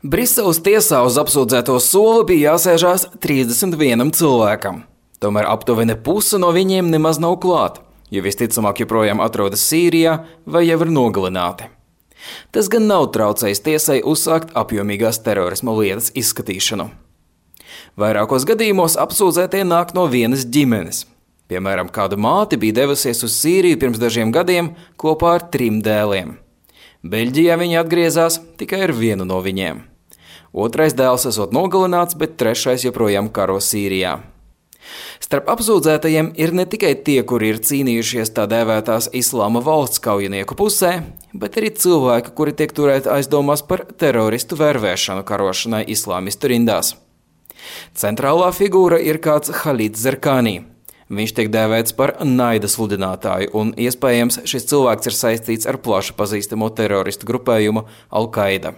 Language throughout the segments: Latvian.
Briseles tiesā uz apsūdzēto soli bija jāsēžās 31 cilvēkam. Tomēr aptuveni puse no viņiem nemaz nav klāt, jo visticamāk joprojām atrodas Sīrijā vai jau ir nogalināti. Tas gan nav traucējis tiesai uzsākt apjomīgās terorisma lietas izskatīšanu. Vairākos gadījumos apsūdzētie nāk no vienas ģimenes. Piemēram, kāda māte bija devusies uz Sīriju pirms dažiem gadiem kopā ar 3 dēliem. Beļģijā viņi atgriezās tikai ar vienu no viņiem. Otrais dēls esot nogalināts, bet trešais joprojām karo Sīrijā. Starp apsūdzētajiem ir ne tikai tie, kuri ir cīnījušies tā dēvētās Islāma valsts kaujinieku pusē, bet arī cilvēki, kuri tiek turēti aizdomās par teroristu vervēšanu karošanai islāmistu rindās. Centrālā figūra ir kāds Halīds Zerkānī. Viņš tiek dēvēts par naida sludinātāju, un iespējams šis cilvēks ir saistīts ar plaši pazīstamo teroristu grupējumu Al-Qaida.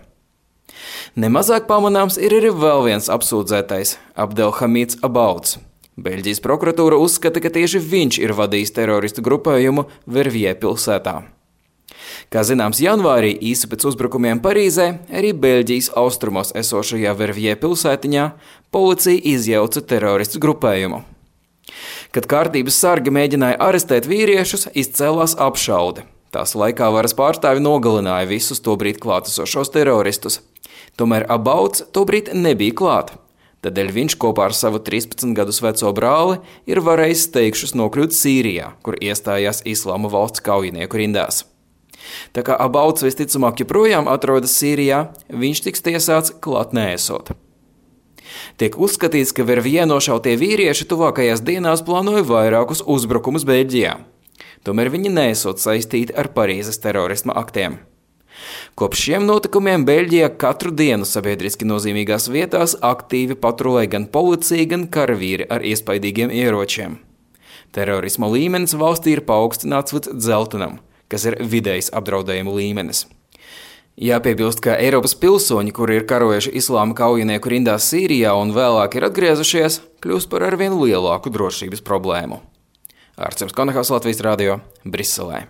Nemazāk pamanāms ir arī vēl viens apsūdzētais – Abdelhamīds Abauds. Beļģijas prokuratūra uzskata, ka tieši viņš ir vadījis teroristu grupējumu Verviers pilsētā. Kā zināms, janvārī īsi pēc uzbrukumiem Parīzē, arī Beļģijas austrumos esošajā Verviers pilsētiņā policija izjauca teroristu grupējumu. Kad kārtības sargi mēģināja arestēt vīriešus, izcēlās apšaude. Tās laikā varas pārstāvi nogalināja visus tobrīd klātesošos teroristus. Tomēr Abauds tobrīd nebija klāt. Tādēļ viņš kopā ar savu 13 gadus veco brāli ir varējis steigšus nokļūt Sīrijā, kur iestājās Islāma valsts kaujinieku rindās. Tā kā Abauds visticamāk joprojām atrodas Sīrijā, viņš tiks tiesāts klāt neesot. Tiek uzskatīts, ka Verviers nošautie vīrieši tuvākajās dienās plānoja vairākus uzbrukumus Beļģijā. Tomēr viņi neesot saistīti ar Parīzes terorisma aktiem. Kopš šiem notikumiem Beļģijā katru dienu sabiedriski nozīmīgās vietās aktīvi patrulē gan policija, gan karavīri ar iespaidīgiem ieročiem. Terorisma līmenis valstī ir paaugstināts līdz dzeltenam, kas ir vidējs apdraudējumu līmenis. Jāpiebilst, ka Eiropas pilsoņi, kuri ir karojuši islāma kaujinieku rindās Sīrijā un vēlāk ir atgriezušies, kļūst par arvien lielāku drošības problēmu. Arcims Konahals, Latvijas radio, Briselē.